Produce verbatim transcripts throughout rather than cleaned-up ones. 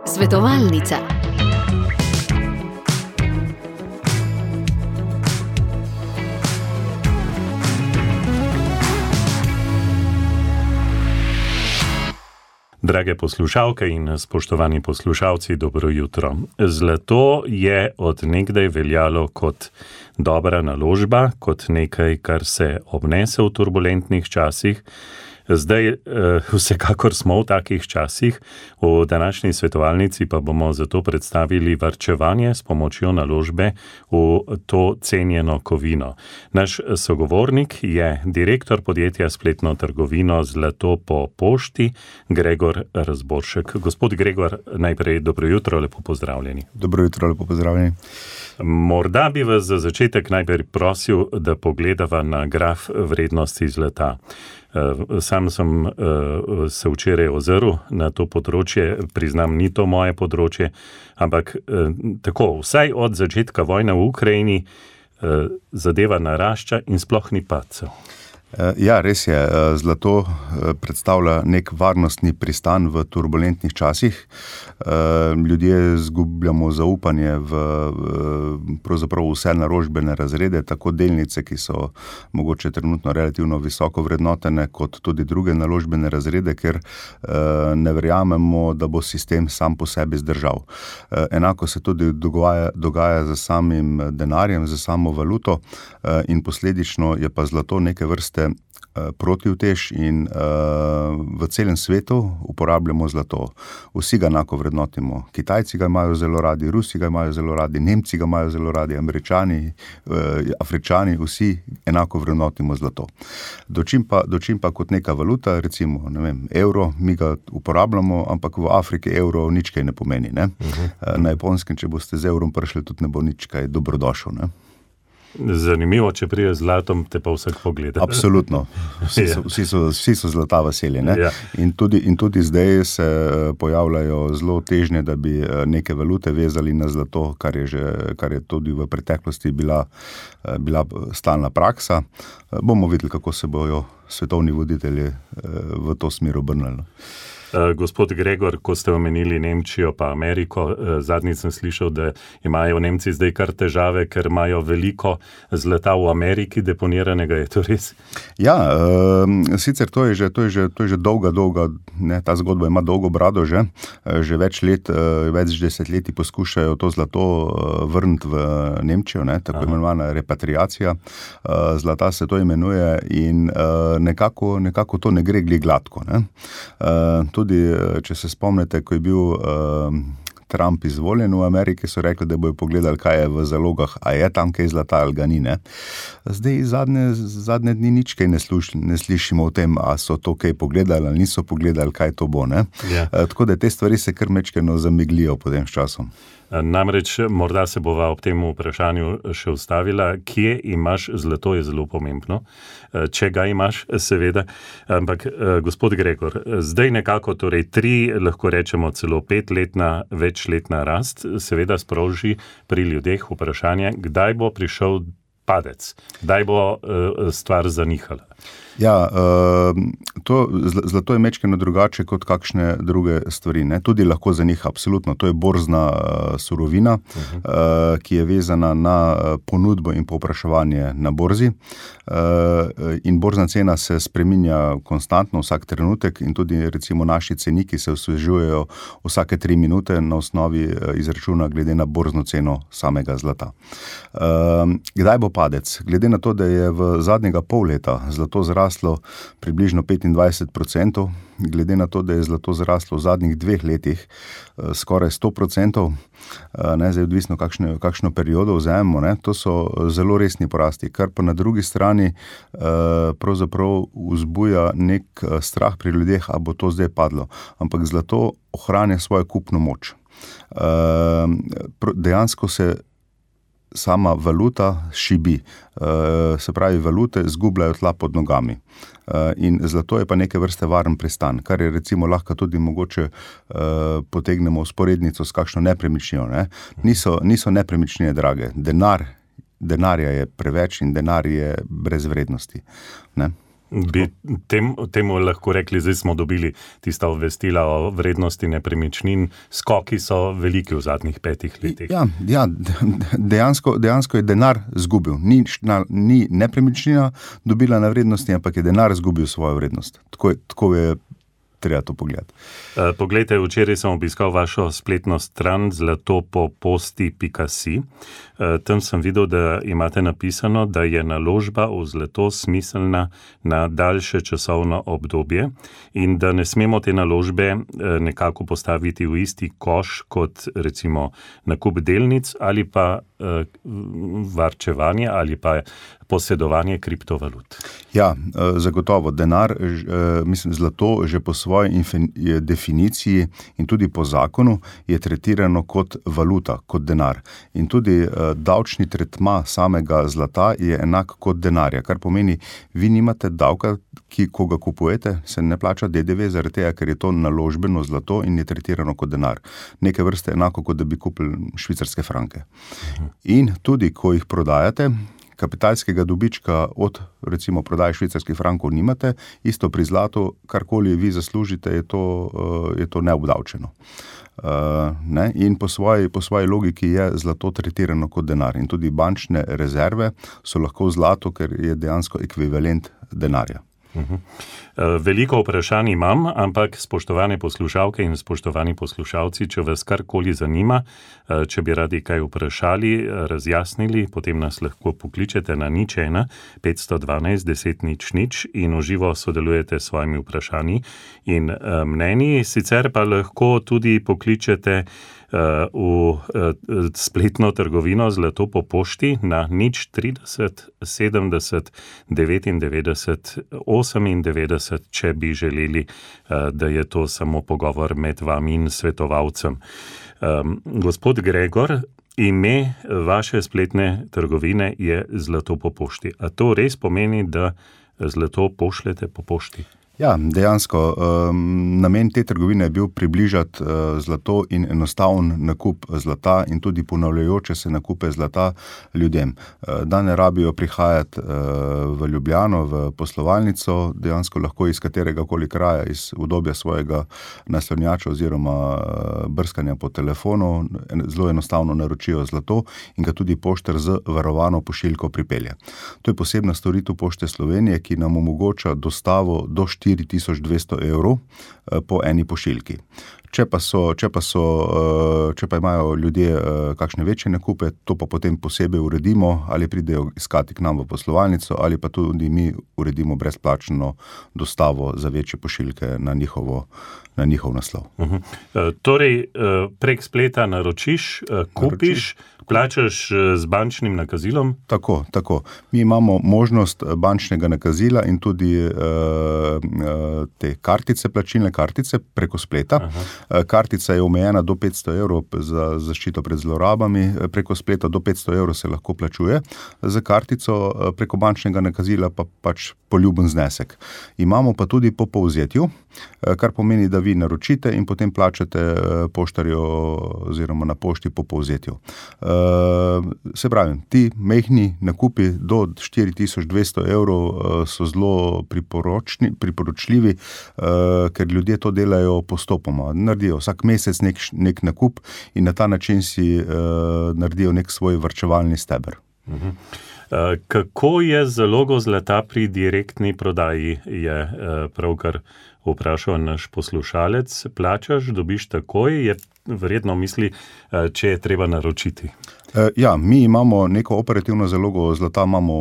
Svetovalnica. Drage poslušalke in spoštovani poslušalci, dobro jutro. Zlato je od nekdaj veljalo kot dobra naložba, kot nekaj, kar se obnese v turbulentnih časih. Zdaj eh, vsekakor smo v takih časih, v današnji svetovalnici pa bomo zato predstavili varčevanje s pomočjo naložbe v to cenjeno kovino. Naš sogovornik je direktor podjetja spletno trgovino Zlato po pošti, Gregor Razboršek. Gospod Gregor, najprej dobro jutro, lepo pozdravljeni. Dobro jutro, lepo pozdravljeni. Morda bi vas za začetek najprej prosil, da pogledava na graf vrednosti zlata. Sam sem se včeraj ozrl na to področje, priznam, ni to moje področje, ampak tako, vsaj od začetka vojne v Ukrajini zadeva narašča in sploh ni padcev. Ja, res je. Zlato predstavlja nek varnostni pristan v turbulentnih časih. Ljudje zgubljamo zaupanje v pravzaprav vse naložbene razrede, tako delnice, ki so mogoče trenutno relativno visoko vrednotene, kot tudi druge naložbene razrede, ker ne verjamemo, da bo sistem sam po sebi zdržal. Enako se tudi dogaja, dogaja z samim denarjem, z samo valuto in posledično je pa zlato neke vrste protivtež in uh, v celem svetu uporabljamo zlato. Vsi ga enako vrednotimo. Kitajci ga imajo zelo radi, Rusi ga imajo zelo radi, Nemci ga imajo zelo radi, Američani, uh, Afričani, vsi enako vrednotimo zlato. Dočim pa, dočim pa kot neka valuta, recimo, ne vem, evro, mi ga uporabljamo, ampak v Afriki evro nič kaj ne pomeni. Ne? Uh-huh. Uh, na Japonskem, če boste z evrom prišli, tudi ne bo nič kaj dobrodošel. Ne? Zanimivo, če prije z zlatom, te pa vsak pogleda. Absolutno. Vsi so, vsi so, vsi so zlata veseli. Ne? Ja. In, tudi, in tudi zdaj se pojavljajo zelo težnje, da bi neke valute vezali na zlato, kar je, že, kar je tudi v preteklosti bila, bila stalna praksa. Bomo videli, kako se bojo svetovni voditelji v to smer obrnili. Gospod Gregor, ko ste omenili Nemčijo pa Ameriko, zadnjič sem slišal, da imajo Nemci zdaj kar težave, ker imajo veliko zlata v Ameriki deponiranega, je to res? Ja, e, sicer to je že, to je že, to je že dolga, dolga, ne, ta zgodba ima dolgo brado že, že več let, več desetletij poskušajo to zlato vrniti v Nemčijo, ne, tako imenovana repatriacija, zlata se to imenuje in nekako, nekako to ne gre gli gladko, ne. E, Tudi, če se spomnite, ko je bil uh, Trump izvoljen v Ameriki, so rekli, da bojo pogledali, kaj je v zalogah, a je tam kaj zlata ali ga ni, ne. Zdaj zadnje, zadnje dni nič kaj ne, sluš, ne slišimo o tem, a so to kaj pogledali ali niso pogledali, kaj to bo, ne. Yeah. Uh, tako da te stvari se kar mečkeno zamiglijo potem s časom. Namreč, morda se bova ob tem vprašanju še ustavila, kje imaš zlato, je zelo pomembno, če ga imaš, seveda, ampak gospod Gregor, zdaj nekako torej tri, lahko rečemo celo petletna, večletna rast, seveda sproži pri ljudeh vprašanje, kdaj bo prišel padec, kdaj bo stvar zanihala. Ja, to, zlato je mečkeno drugače kot kakšne druge stvari, ne. Tudi lahko za njih absolutno, to je borzna surovina, uh-huh. ki je vezana na ponudbo in povpraševanje na borzi in borzna cena se spreminja konstantno vsak trenutek in tudi recimo naši ceniki se osvežujejo vsake tri minute na osnovi izračuna glede na borzno ceno samega zlata. Kdaj bo padec? Glede na to, da je v zadnjega pol leta zlato zraslo približno petindvajset procentov, glede na to, da je zlato zraslo v zadnjih dveh letih skoraj sto procentov, ne, zdaj odvisno kakšno, kakšno periodo vzamemo, ne, to so zelo resni porasti, kar pa na drugi strani pravzaprav vzbuja nek strah pri ljudeh, a bo to zdaj padlo. Ampak zlato ohranja svojo kupno moč. Dejansko se sama valuta šibi, se pravi, valute zgubljajo tla pod nogami. In zlato je pa neke vrste varen pristan, kar je recimo lahko tudi mogoče potegnemo vzporednico s kakšno nepremičnino. Ne? Niso, niso nepremičnine drage, denar, denarja je preveč in denar je brez vrednosti. Ne? Bi tem, temu lahko rekli, zdaj smo dobili tista obvestila o vrednosti nepremičnin, skoki so veliki v zadnjih petih letih. Ja, ja dejansko, dejansko je denar zgubil. Ni, ni nepremičnina dobila na vrednosti, ampak je denar zgubil svojo vrednost. Tako je, tako je treba to pogledati. Poglejte, včeraj sem obiskal vašo spletno stran zlatopoposti pika si. Tam sem videl, da imate napisano, da je naložba v zlato smiselna na daljše časovno obdobje in da ne smemo te naložbe nekako postaviti v isti koš kot recimo nakup delnic ali pa varčevanje ali pa posedovanje kriptovalut. Ja, zagotovo. Denar, mislim, zlato že po svoji definiciji in tudi po zakonu je tretirano kot valuta, kot denar. In tudi davčni tretma samega zlata je enak kot denarja, kar pomeni, vi nimate davka, ki, ko ga kupujete, se ne plača D D V zaradi tega, ker je to naložbeno zlato in je tretirano kot denar. Neke vrste enako, kot da bi kupili švicarske franke. In tudi, ko jih prodajate, kapitalskega dobička od, recimo, prodaje švicarskih frankov nimate, isto pri zlatu, karkoli vi zaslužite, je to, je to neobdavčeno. Uh, ne? In po svoji, po svoji logiki je zlato tretirano kot denar. In tudi bančne rezerve so lahko v zlatu, ker je dejansko ekvivalent denarja. Uhum. Veliko vprašanj imam, ampak spoštovane poslušalke in spoštovani poslušalci, če vas karkoli zanima, če bi radi kaj vprašali, razjasnili, potem nas lahko pokličete na nič ena petsto dvanajst deset nič nič in v živo sodelujete s svojimi vprašanji in mnenji. Sicer pa lahko tudi pokličete v spletno trgovino Zlato po pošti na nič trideset sedemdeset devetindevetdeset osemindevetdeset, če bi želeli, da je to samo pogovor med vami in svetovalcem. Gospod Gregor, ime vaše spletne trgovine je Zlato po pošti. A to res pomeni, da zlato pošljete po pošti? Ja, dejansko. Um, namen te trgovine je bil približati uh, zlato in enostaven nakup zlata in tudi ponavljajoče se nakupe zlata ljudem. Uh, da ne rabijo prihajati uh, v Ljubljano, v poslovalnico, dejansko lahko iz katerega koli kraja, iz udobja svojega naslonjača oziroma uh, brskanja po telefonu, zelo enostavno naročijo zlato in ga tudi poštar z varovano pošiljko pripelje. To je posebna storitev Pošte Slovenije, ki nam omogoča dostavo do štiri tisoč dvesto evrov po eni pošiljki. Če pa, so, če, pa so, če pa imajo ljudje kakšne večje nakupe, to pa potem posebej uredimo, ali pridejo iskati k nam v poslovalnico, ali pa tudi mi uredimo brezplačno dostavo za večje pošiljke na, njihovo, na njihov naslov. Uh-huh. Torej, prek spleta naročiš, kupiš, Naroči. Plačaš z bančnim nakazilom? Tako, tako. Mi imamo možnost bančnega nakazila in tudi uh, te kartice, plačilne kartice preko spleta. Aha. Kartica je omejena do petsto evrov za zaščito pred zlorabami, preko spleta do petsto evrov se lahko plačuje za kartico, preko bančnega nakazila pa pač poljuben znesek. Imamo pa tudi po povzetju, kar pomeni, da vi naročite in potem plačate poštarju oziroma na pošti po povzetju. Se pravi, ti mehni nakupi do štiri tisoč dvesto evrov so zelo priporočni, priporočljivi, ker ljudje to delajo postopoma. Naredijo vsak mesec nek, nek nakup in na ta način si naredijo nek svoj varčevalni steber. Uh-huh. Kako je z zalogo zlata pri direktni prodaji, je pravkar vprašal naš poslušalec. Plačaš, dobiš takoj, je verjetno misli, če je treba naročiti. Ja, mi imamo neko operativno zalogo zlata, imamo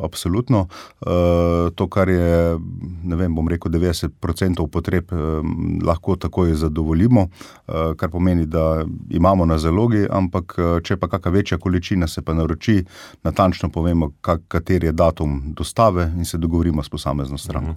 absolutno. To, kar je, ne vem, bom rekel, devetdeset procentov potreb lahko takoj zadovoljimo, kar pomeni, da imamo na zalogi, ampak če pa kakšna večja količina se pa naroči, natančno povemo, kateri je datum dostave in se dogovorimo s posamezno stranko.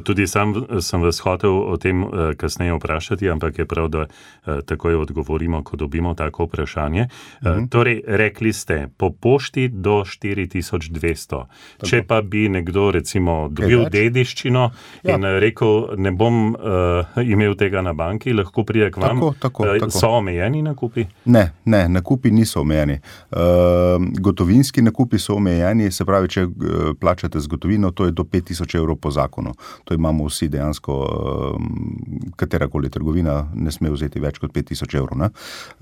Tudi sam sem vas hotel o tem kasneje vprašati, ampak je prav, da takoj odgovorimo, ko dobimo tako vprašanje. Mhm. Torej, rekli ste, po pošti do štiri tisoč dvesto. Tako. Če pa bi nekdo recimo dobil dediščino ja. in rekel, ne bom uh, imel tega na banki, lahko pride k vam, tako, tako, uh, tako. So omejeni nakupi? Ne, ne, nakupi niso omejeni. Uh, gotovinski nakupi so omejeni, se pravi, če uh, plačate z gotovino, to je do pet tisoč evrov po zakonu. To imamo vsi dejansko, uh, katerakoli trgovina ne sme vzeti več kot pet tisoč evrov. Ne?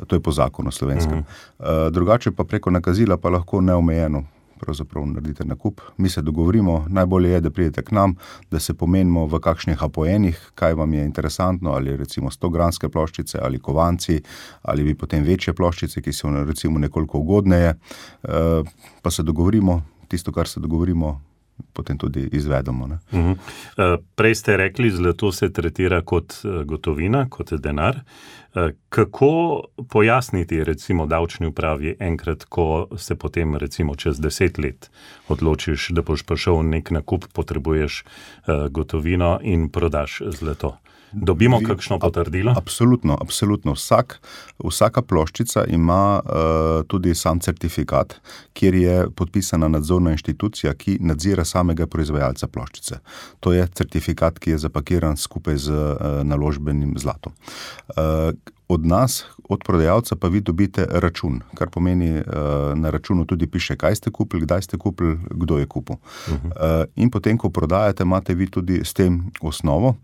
To je po zakonu slovenskem. Mm. Uh, drugače pa preko nakazila pa lahko neomejeno pravzaprav naredite nakup. Mi se dogovorimo, najbolje je, da pridete k nam, da se pomenimo v kakšnih apoenih, kaj vam je interesantno, ali recimo sto gramske ploščice, ali kovanci, ali bi potem večje ploščice, ki so recimo nekoliko ugodneje, uh, pa se dogovorimo, tisto, kar se dogovorimo, potem tudi izvedemo. Ne? Uh-huh. Prej ste rekli, zlato se tretira kot gotovina, kot denar. Kako pojasniti recimo davčni upravi enkrat, ko se potem recimo čez deset let odločiš, da boš prišel nek nakup, potrebuješ gotovino in prodaš zlato? Dobimo Vi, kakšno potrdilo? Absolutno, absolutno. Vsak, vsaka ploščica ima uh, tudi sam certifikat, kjer je podpisana nadzorna inštitucija, ki nadzira samega proizvajalca ploščice. To je certifikat, ki je zapakiran skupaj z uh, naložbenim zlatom. Uh, Od nas, od prodajalca pa vi dobite račun, kar pomeni, uh, na računu tudi piše, kaj ste kupili, kdaj ste kupili, kdo je kupil. Uh-huh. Uh, in potem, ko prodajate, imate vi tudi s tem osnovo,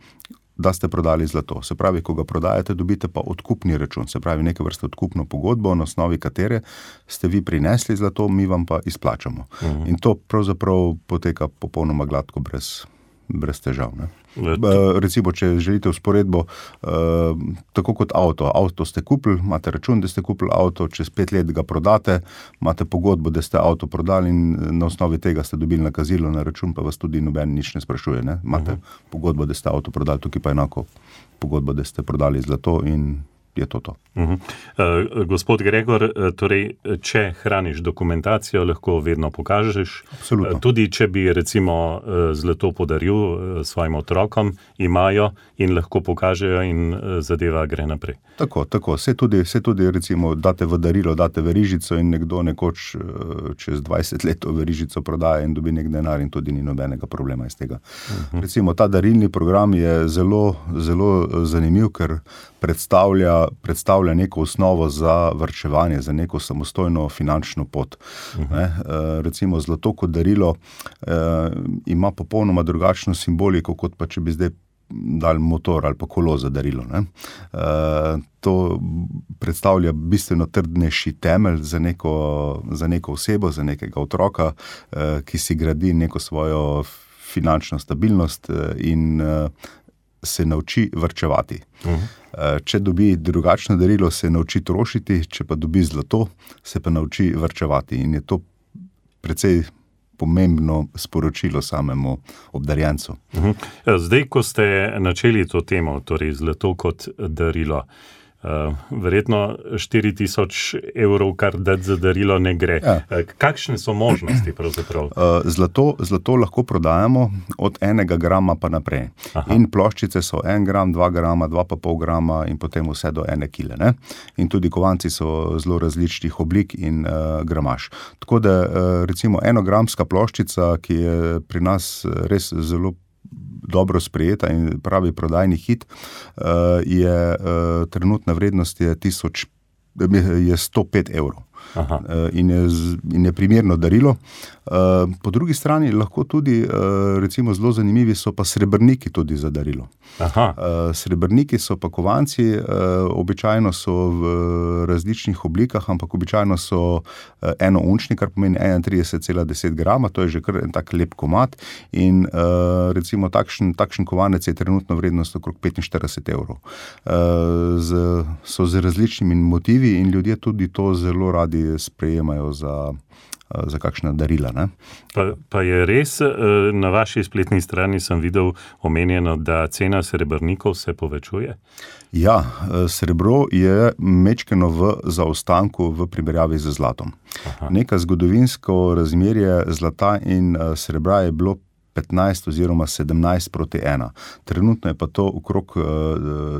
da ste prodali zlato. Se pravi, ko ga prodajate, dobite pa odkupni račun, se pravi, neke vrste odkupno pogodbo, na osnovi katere ste vi prinesli zlato, mi vam pa izplačamo. Uh-huh. In to pravzaprav poteka popolnoma gladko, brez, brez težav. Ne? Recimo, če želite vzporedbo, uh, tako kot avto. Avto ste kupili, imate račun, da ste kupili avto, čez pet let ga prodate, imate pogodbo, da ste avto prodali in na osnovi tega ste dobili nakazilo na račun, pa vas tudi noben nič ne sprašuje. Ne? Imate uh-huh. pogodbo, da ste avto prodali, tukaj pa enako pogodbo, da ste prodali zlato in je to to. Uh-huh. Uh, gospod Gregor, torej, če hraniš dokumentacijo, lahko vedno pokažeš. Absolutno. Tudi če bi recimo zlato podaril svojim otrokom, imajo in lahko pokažejo in zadeva gre naprej. Tako, tako. Se tudi, se tudi recimo date v darilo, date verižico in nekdo nekoč čez dvajset let verižico prodaja in dobi nek denar in tudi ni nobenega problema iz tega. Uh-huh. Recimo, ta darilni program je zelo, zelo zanimiv, ker predstavlja predstavlja neko osnovo za varčevanje, za neko samostojno finančno pot. Uh-huh. Ne? E, recimo zlato kot darilo e, ima popolnoma drugačno simboliko, kot pa če bi zdaj dali motor ali pa kolo za darilo. Ne? E, to predstavlja bistveno trdnejši temelj za neko, za neko osebo, za nekega otroka, e, ki si gradi neko svojo finančno stabilnost in e, se nauči varčevati. Uh-huh. Če dobi drugačno darilo, se nauči trošiti, če pa dobi zlato, se pa nauči varčevati. In je to precej pomembno sporočilo samemu obdarjencu. Uh-huh. Zdaj, ko ste načeli to temo, torej zlato kot darilo, Uh, verjetno štiri tisoč evrov, kar dati za darilo, ne gre. Ja. Uh, kakšne so možnosti pravzaprav? Uh, zlato, zlato lahko prodajamo od enega grama pa naprej. Aha. In ploščice so en gram, dva grama, dva pa pol grama in potem vse do ene kile. Ne? In tudi kovanci so zelo različnih oblik in uh, gramaž. Tako da uh, recimo enogramska ploščica, ki je pri nas res zelo dobro sprejeta in pravi prodajni hit, je trenutna vrednost je, tisoč, je sto pet evrov. Aha. In je, in je primerno darilo. Po drugi strani lahko tudi, recimo zelo zanimivi so pa srebrniki tudi za darilo. Aha. Srebrniki so pa kovanci, običajno so v različnih oblikah, ampak običajno so enounčni, kar pomeni enaintrideset cela deset grama, to je že kar en tak lep komad in recimo takšen, takšen kovanec je trenutno vrednost okrog petinštirideset evrov. Z, so z različnimi motivi in ljudje tudi to zelo radi sprejemajo za, za kakšna darila. Ne? Pa, pa je res, na vaši spletni strani sem videl omenjeno, da cena srebrnikov se povečuje? Ja, srebro je mečkeno v zaostanku v primerjavi z zlatom. Aha. Neka zgodovinsko razmerje zlata in srebra je bilo petnajst oziroma sedemnajst proti ena. Trenutno je pa to okrog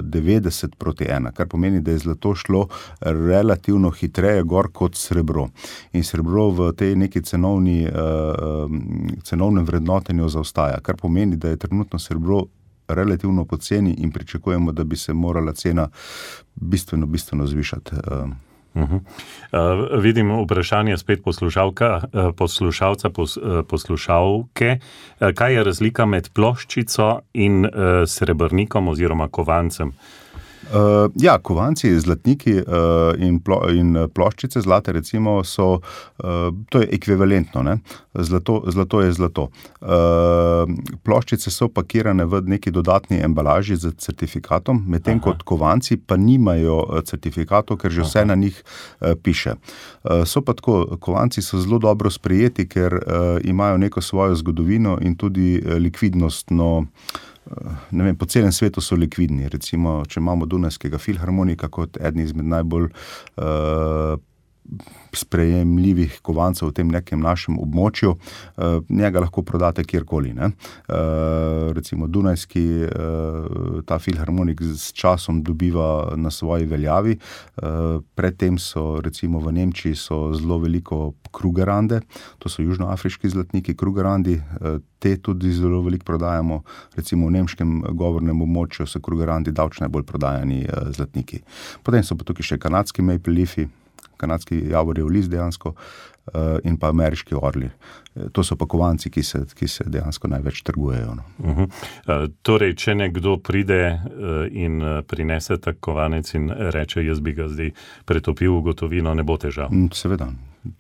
devetdeset proti ena, kar pomeni, da je zlato šlo relativno hitreje gor kot srebro. In srebro v tej neki cenovni, cenovnem vrednotenju zaostaja, kar pomeni, da je trenutno srebro relativno poceni in pričakujemo, da bi se morala cena bistveno, bistveno zvišati. Uh-huh. Uh, vidim vprašanje spet poslušalka, uh, poslušalca, pos, uh, poslušalke. Uh, kaj je razlika med ploščico in uh, srebrnikom oziroma kovancem? Uh, ja, kovanci, zlatniki uh, in, plo, in ploščice zlate recimo so, uh, to je ekvivalentno, ne? Zlato, zlato je zlato. Uh, ploščice so pakirane v neki dodatni embalaži z certifikatom, medtem kot kovanci pa nimajo certifikatov, ker že vse Aha. na njih uh, piše. Uh, so pa tako, kovanci so zelo dobro sprejeti, ker uh, imajo neko svojo zgodovino in tudi uh, likvidnostno. Ne vem, po celem svetu so likvidni. Recimo, če imamo Dunajskega filharmonika kot eden izmed najbolj uh, sprejemljivih kovancev v tem nekem našem območju, uh, njega lahko prodate kjerkoli. Ne? Uh, recimo Dunajski, uh, ta filharmonik s časom dobiva na svoji veljavi. Uh, predtem so, recimo v Nemčiji so zelo veliko Krugerrande, to so južnoafriški zlatniki Krugerrandi, uh, te tudi zelo veliko prodajamo. Recimo v nemškem govornem območju so Krugerrandi davč najbolj prodajani uh, zlatniki. Potem so pa tukaj še kanadski maple leafi, kanadski javorjev list dejansko uh, in pa ameriški orli. To so pa kovanci, ki se, ki se dejansko največ trgujejo. No. Uh-huh. Uh, torej, če nekdo pride uh, in uh, prinese tak kovanec in reče, jaz bi ga zdaj pretopil v gotovino, ne bo težav? Seveda,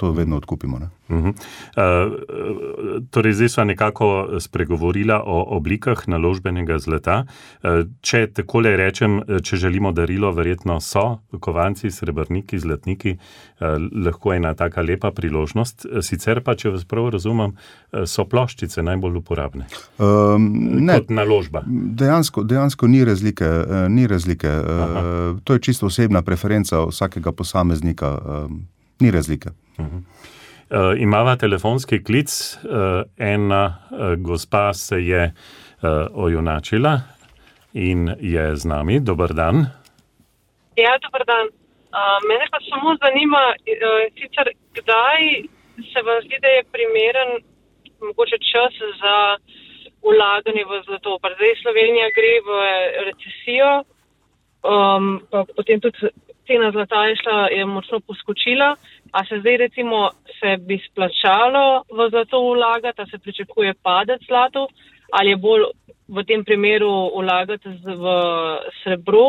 to vedno odkupimo. Ne? Uh-huh. Uh, torej, zdaj sva nekako spregovorila o oblikah naložbenega zlata. Uh, če takole rečem, če želimo darilo, verjetno so kovanci, srebrniki, zlatniki, uh, lahko ena taka lepa priložnost. Sicer pa, če vas prav razumem, so ploščice najbolj uporabne um, ne, kot naložba. Dejansko, dejansko ni razlike. Ni razlike. Uh, to je čisto osebna preferenca vsakega posameznika. Uh, ni razlike. Uh-huh. Uh, imava telefonski klic. Uh, ena uh, gospa se je uh, ojunačila in je z nami. Dobar dan. Ja, dobar dan. Uh, mene pa samo zanima, uh, sicer kdaj se vam zdi, da je primeren mogoče čas za vlaganje v zlato. Pa zdaj Slovenija gre v recesijo, um, pa potem tudi cena zlata je šla, je močno poskočila. A se zdaj recimo se bi splačalo v zlato vlagati, a se pričakuje padec zlato, ali je bolj v tem primeru vlagati v srebro?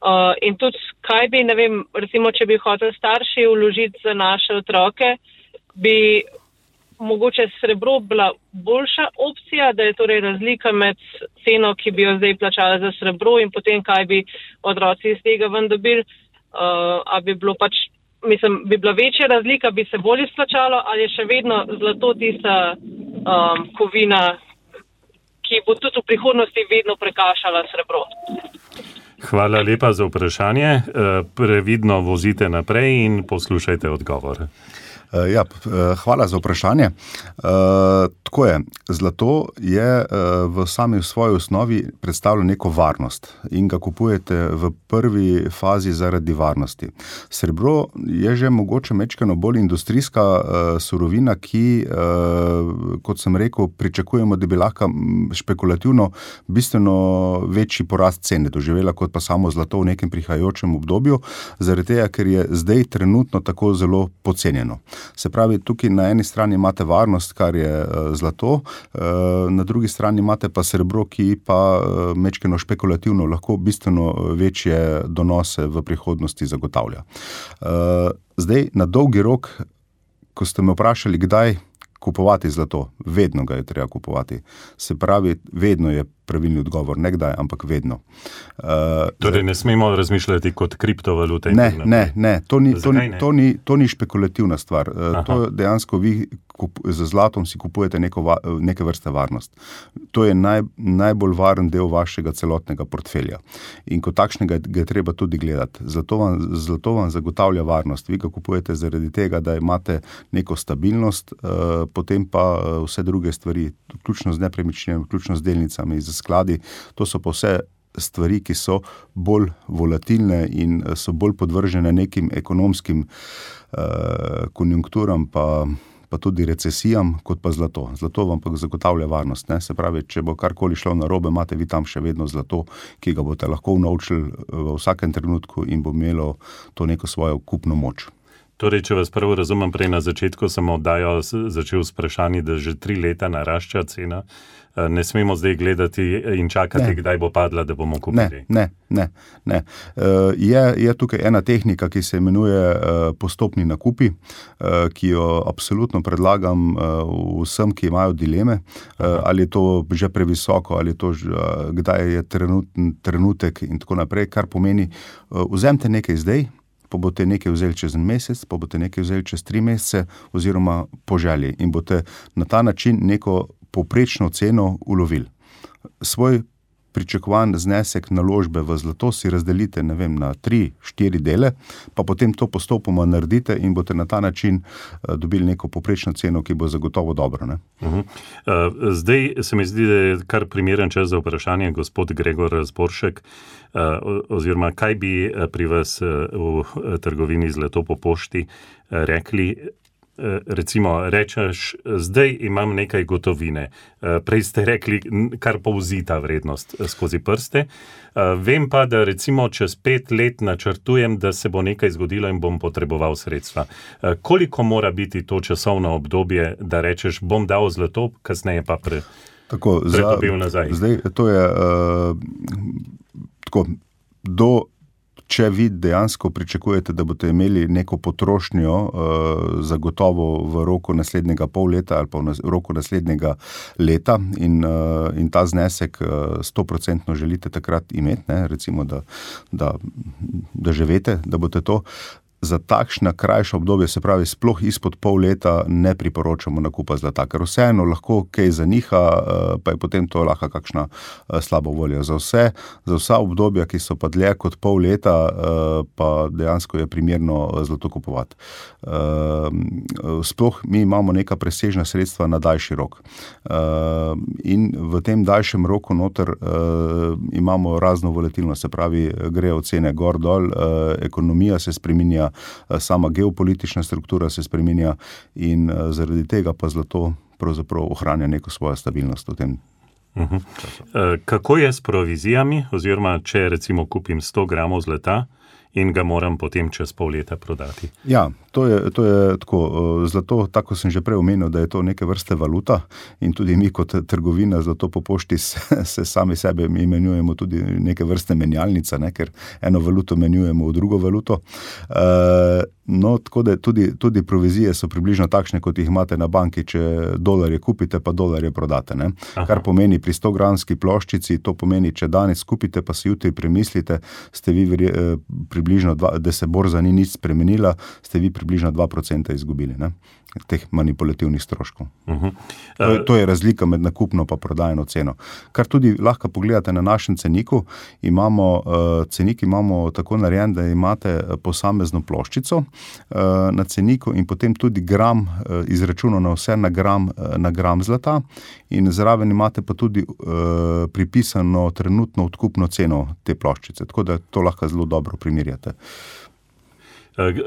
Uh, in tudi kaj bi, ne vem, recimo, če bi hotel starši vložiti za naše otroke, bi mogoče srebro bila boljša opcija, da je torej razlika med ceno, ki bi jo zdaj plačala za srebro in potem, kaj bi otroci iz tega ven dobili, uh, a bi bilo pač, mislim, bi bila večja razlika, bi se bolj izplačalo, ali je še vedno zlato tista um, kovina, ki bo tudi v prihodnosti vedno prekašala srebro. Hvala lepa za vprašanje. Previdno vozite naprej in poslušajte odgovor. Ja, hvala za vprašanje. Tako je, zlato je v sami svoji osnovi predstavlja neko varnost in ga kupujete v prvi fazi zaradi varnosti. Srebro je že mogoče mečkano bolj industrijska surovina, ki, kot sem rekel, pričakujemo, da bi lahko špekulativno bistveno večji porast cene doživela kot pa samo zlato v nekem prihajajočem obdobju, zaradi tega, ker je zdaj trenutno tako zelo pocenjeno. Se pravi, tukaj na eni strani imate varnost, kar je zlato, na drugi strani imate pa srebro, ki pa mečkeno špekulativno lahko bistveno večje donose v prihodnosti zagotavlja. Zdaj, na dolgi rok, ko ste me vprašali, kdaj kupovati zlato, vedno ga je treba kupovati. Se pravi, vedno je pravilni odgovor, ne kdaj, ampak vedno. Uh, torej ne smemo razmišljati kot kriptovalute? Ne, ne, ne. To ni, to, ni, to, ni, to ni špekulativna stvar. Uh, to dejansko vi z zlatom si kupujete neko, neke vrste varnost. To je naj, najbolj varen del vašega celotnega portfelja. In kot takšnega ga je treba tudi gledati. Zlato vam, zlato vam zagotavlja varnost. Vi ga kupujete zaradi tega, da imate neko stabilnost, eh, potem pa vse druge stvari, vključno z nepremičninami, vključno z delnicami, z skladi, to so pa vse stvari, ki so bolj volatilne in so bolj podvržene nekim ekonomskim uh, konjunkturam, pa, pa tudi recesijam, kot pa zlato. Zlato vam pa zagotavlja varnost. Ne? Se pravi, če bo karkoli šlo narobe, imate vi tam še vedno zlato, ki ga boste lahko unovčili v vsakem trenutku in bo imelo to neko svojo kupno moč. Torej, če vas prvo razumem, prej na začetku sem oddajo začel s vprašanji, da že tri leta narašča cena. Ne smemo zdaj gledati in čakati, ne. Kdaj bo padla, da bomo kupili. Ne, ne, ne. Je, je tukaj ena tehnika, ki se imenuje postopni nakupi, ki jo absolutno predlagam vsem, ki imajo dileme, ali je to že previsoko, ali je to, kdaj je trenutek in tako naprej, kar pomeni, vzemite nekaj zdaj, pa boste nekaj vzeli čez en mesec, pa boste nekaj vzeli čez tri mesece, oziroma po želji in boste na ta način neko povprečno ceno ulovili. Svoj pričakovan znesek naložbe v zlato si razdelite, ne vem, na tri, štiri dele, pa potem to postopoma naredite in boste na ta način dobili neko povprečno ceno, ki bo zagotovo dobro. Ne? Uh-huh. Uh, zdaj se mi zdi, da je kar primeren čas za vprašanje, gospod Gregor Zboršek, uh, oziroma kaj bi pri vas uh, v trgovini Zlato po pošti uh, rekli. Recimo, rečeš, zdaj imam nekaj gotovine. Prej ste rekli, kar povzi ta vrednost skozi prste. Vem pa, da recimo čez pet let načrtujem, da se bo nekaj zgodilo in bom potreboval sredstva. Koliko mora biti to časovno obdobje, da rečeš, bom dal zlato, kasneje pa pre, tako, predobil za, nazaj? Zdaj, to je uh, tako, do Če vi dejansko pričakujete, da boste imeli neko potrošnjo uh, zagotovo v roku naslednjega pol leta ali pa v roku naslednjega leta in, uh, in ta znesek sto procentno uh, želite takrat imeti, ne, recimo, da, da, da že veste, da boste to, za takšna krajša obdobje, se pravi sploh izpod pol leta, ne priporočamo nakupa zlata, ker vseeno lahko kaj zaniha, pa je potem to lahko kakšna slaba volja. Za vse, za vsa obdobja, ki so pa dlje kot pol leta, pa dejansko je primerno zlato kupovati. Sploh mi imamo neka presežna sredstva na daljši rok. In v tem daljšem roku noter imamo razno volatilnost, se pravi, grejo cene gor dol, ekonomija se spreminja, sama geopolitična struktura se spreminja in zaradi tega pa zlato pravzaprav ohranja neko svojo stabilnost v tem. Uh-huh. Kako je s provizijami, oziroma če recimo kupim sto gramov zlata in ga moram potem čez pol leta prodati? Ja, to je, to je tako, zlato, tako sem že prej omenil, da je to neke vrste valuta in tudi mi kot trgovina Zlato po pošti se, se sami sebe imenujemo tudi neke vrste menjalnica, ne, ker eno valuto menjujemo v drugo valuto. Uh, no, tako da tudi, tudi provizije so približno takšne, kot jih imate na banki, če dolarje kupite, pa dolarje prodate. Ne. Kar pomeni pri sto gramski ploščici, to pomeni, če danes kupite, pa si jutri premislite, ste vi verje, približno, dva, da se borza ni nič spremenila, ste vi približno dva procenta izgubili, ne, teh manipulativnih stroškov. Uh-huh. Uh, to, je, to je razlika med nakupno pa prodajno ceno. Kar tudi lahko pogledate na našem ceniku, imamo, uh, cenik imamo tako narejen, da imate posamezno ploščico uh, na ceniku in potem tudi gram uh, izračunano vse na gram, uh, na gram zlata in zraven imate pa tudi uh, pripisano trenutno odkupno ceno te ploščice, tako da to lahko zelo dobro primerjate.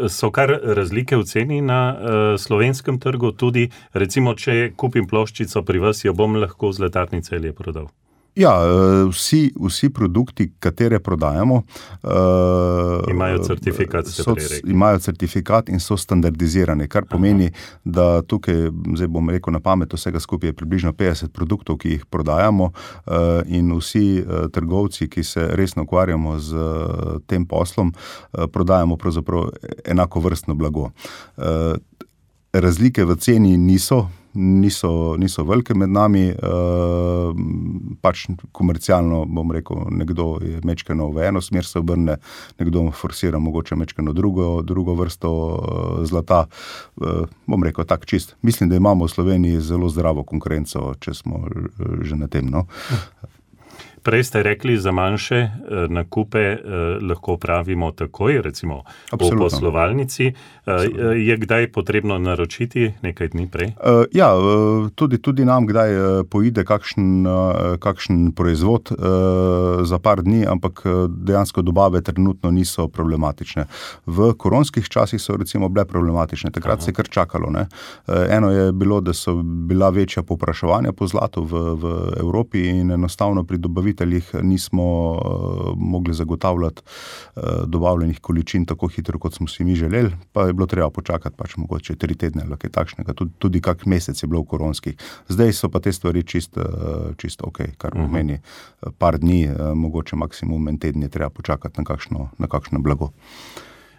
So kar razlike v ceni na uh, slovenskem trgu, tudi recimo, če kupim ploščico pri vas, jo bom lahko v Zlatarni Celje prodal? Ja, vsi, vsi produkti, katere prodajamo, uh, imajo certifikat, so, imajo certifikat in so standardizirani, kar pomeni, Aha. da tukaj, zdaj bom rekel na pamet, vsega skupaj je približno petdeset produktov, ki jih prodajamo uh, in vsi uh, trgovci, ki se resno ukvarjamo z uh, tem poslom, uh, prodajamo pravzaprav enako vrstno blago. Uh, razlike v ceni niso niso, niso velike med nami, pač komercialno, bom rekel, nekdo je mečkeno v eno smer se obrne, nekdo forsira mogoče mečkeno drugo, drugo vrsto zlata, bom rekel, tak čist. Mislim, da imamo v Sloveniji zelo zdravo konkurenco, če smo že na tem, no. Prej ste rekli, za manjše eh, nakupe eh, lahko pravimo takoj, recimo Absolutno. v poslovalnici. Eh, je kdaj potrebno naročiti nekaj dni prej? Uh, ja, tudi, tudi nam kdaj poide kakšen, kakšen proizvod uh, za par dni, ampak dejansko dobave trenutno niso problematične. V koronskih časih so recimo bile problematične, takrat Aha. se je kar čakalo. Ne? Eno je bilo, da so bila večja povpraševanja po zlatu v, v Evropi in enostavno pri dobaviteljih nismo uh, mogli zagotavljati uh, dobavljenih količin tako hitro, kot smo si mi želeli, pa je bilo treba počakati pač mogoče tri tedne ali kaj takšnega, tudi, tudi kak mesec je bilo v koronskih. Zdaj so pa te stvari čist, uh, čist ok, kar uh-huh. pomeni uh, par dni, uh, mogoče maksimum en teden je treba počakati na kakšno, na kakšno blago.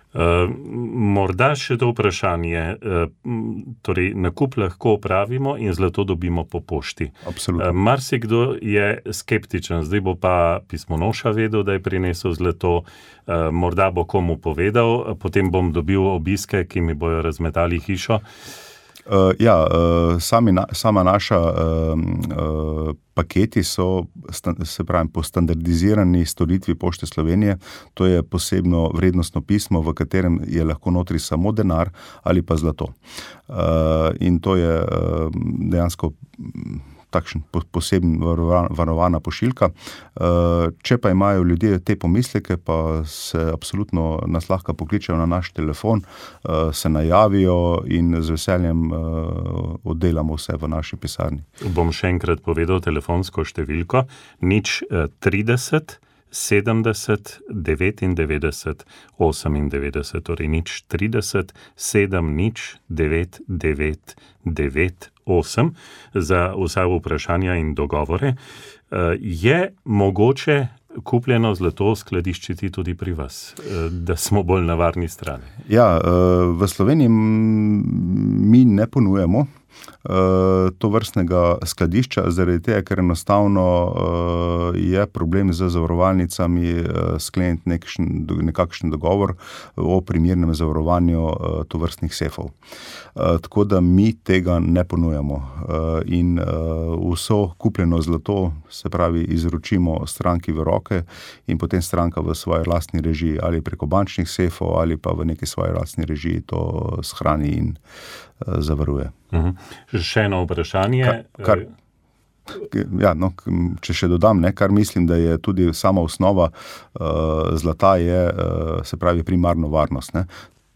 Uh, morda še to vprašanje, uh, torej nakup lahko opravimo in zlato dobimo po pošti. Absolutno. Uh, marsikdo je skeptičen, zdaj bo pa pismonoša vedel, da je prinesel zlato, uh, morda bo komu povedal, potem bom dobil obiske, ki mi bojo razmetali hišo. Uh, ja, uh, sami na, sama naša uh, uh, paketi so, sta, se pravi, po standardizirani storitvi Pošte Slovenije, to je posebno vrednostno pismo, v katerem je lahko notri samo denar ali pa zlato. Uh, in to je uh, dejansko takšen poseben varovana pošiljka. Če pa imajo ljudje te pomisleke, pa se absolutno nas lahko pokličejo na naš telefon, se najavijo in z veseljem oddelamo vse v naši pisarni. Bom še enkrat povedal telefonsko številko, nič trideset, sedemdeset, devetindevetdeset, osemindevetdeset, torej nič trideset, sedem, nič, devet, devet, devet, osem za vsa vprašanja in dogovore. Je mogoče kupljeno zlato skladiščiti tudi pri vas, da smo bolj na varni strani? Ja, v Sloveniji mi ne ponujemo to vrstnega skladišča, zaradi tega, ker enostavno je problem z zavarovalnicami skleniti nekakšen, nekakšen dogovor o primernem zavarovanju tovrstnih sefov. Tako da mi tega ne ponujamo in vso kupljeno zlato, se pravi, izročimo stranki v roke in potem stranka v svoji lastni režiji ali preko bančnih sefov ali pa v neki svoji lastni režiji to shrani in zavaruje. Uh-huh. Še eno vprašanje. Kar, kar, ja, no, če še dodam, ne, kar mislim, da je tudi sama osnova uh, zlata je, uh, se pravi, primarno varnost. Ne.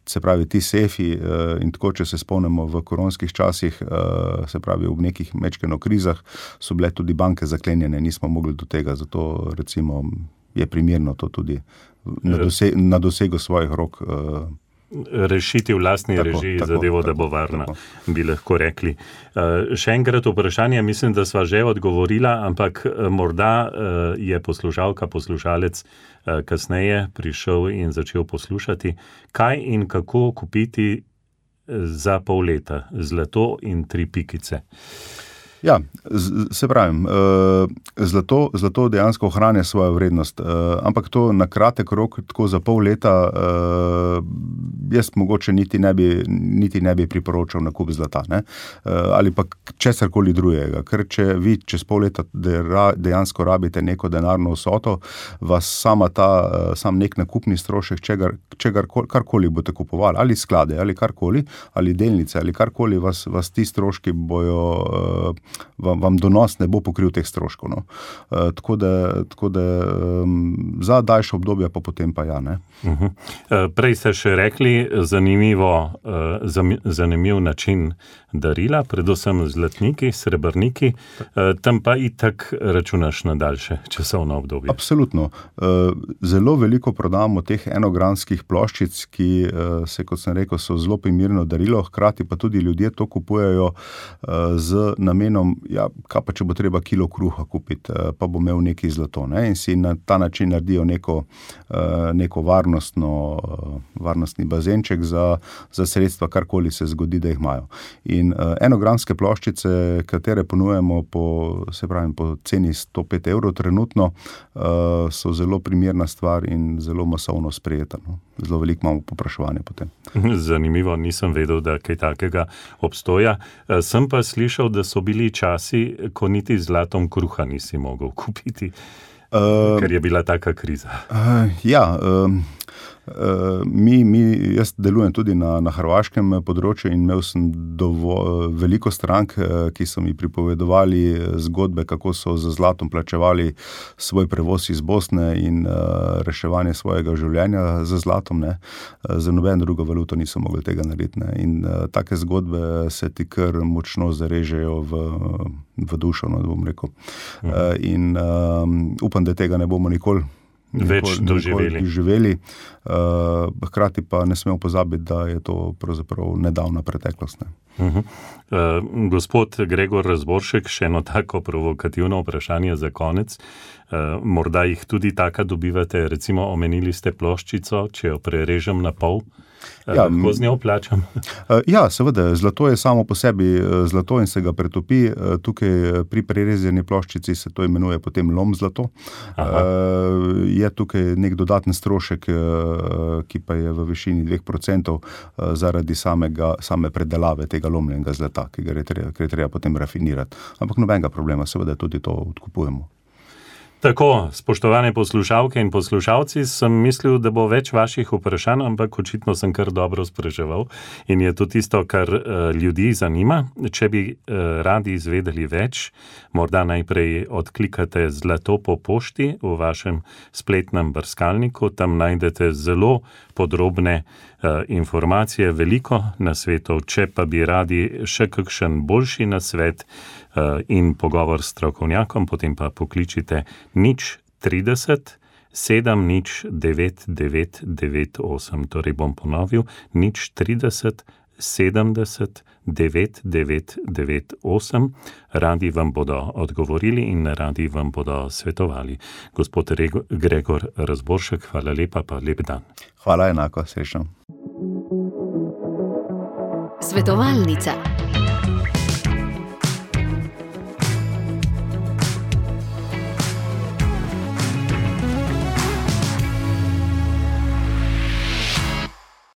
Se pravi, ti sefi uh, in tako, če se spomnimo v koronskih časih, uh, se pravi, v nekih mečkeno krizah so bile tudi banke zaklenjene, nismo mogli do tega, zato recimo je primerno to tudi na, dose, na dosegu svojih rok uh, rešiti v lastni tako, režiji tako, zadevo, tako, da bo varna, tako. Bi lahko rekli. Uh, še enkrat vprašanje, mislim, da sva že odgovorila, ampak uh, morda uh, je poslušalka, poslušalec uh, kasneje prišel in začel poslušati, kaj in kako kupiti za pol leta zlato in tri pikice. Ja, se pravim, zlato, zlato dejansko ohranja svojo vrednost, ampak to na kratek rok, tako za pol leta, jaz mogoče niti ne bi, niti ne bi priporočal nakup zlata, ne? Ali pa česarkoli drugega, ker če vi čez pol leta dejansko rabite neko denarno vsoto, vas sama ta, sam nek nakupni strošek, čegar, čegar, karkoli boste kupovali, ali sklade, ali karkoli, ali delnice, ali karkoli, vas, vas ti stroški bojo Vam, vam donos ne bo pokril teh stroškov. No. E, tako da, tako da um, za daljše obdobje pa potem pa ja. Ne. Uh-huh. E, prej ste še rekli zanimivo, uh, zanimiv način darila, predvsem zlatniki, srebrniki, e, tam pa itak računaš na daljše časovno obdobje. Absolutno. E, zelo veliko prodamo teh enogramskih ploščic, ki e, se, kot sem rekel, so zelo primerno darilo, hkrati pa tudi ljudje to kupujejo e, z namenom namenom, ja, kaj pa če bo treba kilo kruha kupiti, pa bo imel neki zlato, ne? In si na ta način naredijo neko, neko varnostno, varnostni bazenček za, za sredstva, karkoli se zgodi, da jih imajo. In enogramske ploščice, katere ponujemo po, se pravim, po ceni sto pet evrov trenutno, so zelo primerna stvar in zelo masovno sprejeta. No? Zelo veliko imamo popraševanja potem. Zanimivo, nisem vedel, da kaj takega obstoja. Sem pa slišal, da so bili časi, ko niti zlatom kruha nisi mogel kupiti, uh, ker je bila taka kriza. Uh, ja, uh, uh, mi, mi, jaz delujem tudi na, na hrvaškem področju in imel sem dovolj, veliko strank, ki so mi pripovedovali zgodbe, kako so za zlatom plačevali svoj prevoz iz Bosne in uh, reševanje svojega življenja za zlatom. Ne. Za nobeno drugo valuto niso mogli tega narediti. Ne. In uh, take zgodbe se ti kar močno zarežejo v, v dušo, no, bom rekel. Uh, in um, upam, da tega ne bomo nikoli več doživeli. živeli. Uh, hkrati pa ne smemo pozabiti, da je to pravzaprav nedavna preteklost. Ne. Uh-huh. Uh, gospod Gregor Razboršek, še eno tako provokativno vprašanje za konec. Uh, morda jih tudi taka dobivate, recimo omenili ste ploščico, če jo prerežem na pol, uh, ja, lahko z njo plačam? Uh, ja, seveda, zlato je samo po sebi zlato in se ga pretopi. Uh, tukaj pri prerezani ploščici se to imenuje potem lom zlato. Uh, je tukaj nek dodaten strošek, uh, ki pa je v višini dveh procentov uh, zaradi samega, same predelave tega lomljenega zlata, ki ga je treba, ki je treba potem rafinirati. Ampak nobenega problema, seveda tudi to odkupujemo. Tako, spoštovane poslušalke in poslušalci, sem mislil, da bo več vaših vprašanj, ampak očitno sem kar dobro spraševal in je to tisto, kar uh, ljudi zanima. Če bi uh, radi izvedeli več, morda najprej odklikate Zlato po pošti v vašem spletnem brskalniku, tam najdete zelo podrobne uh, informacije, veliko nasvetov. Če pa bi radi še kakšen boljši nasvet uh, in pogovor s strokovnjakom, potem pa pokličite nič trideset sedem nič devet devet devet osem. Torej bom ponovil, nič trideset sedemdeset devet devet devet osem. Radi vam bodo odgovorili in radi vam bodo svetovali. Gospod Rego, Gregor Razboršek, hvala lepa, pa lep dan. Hvala enako, srečno. Svetovalnica.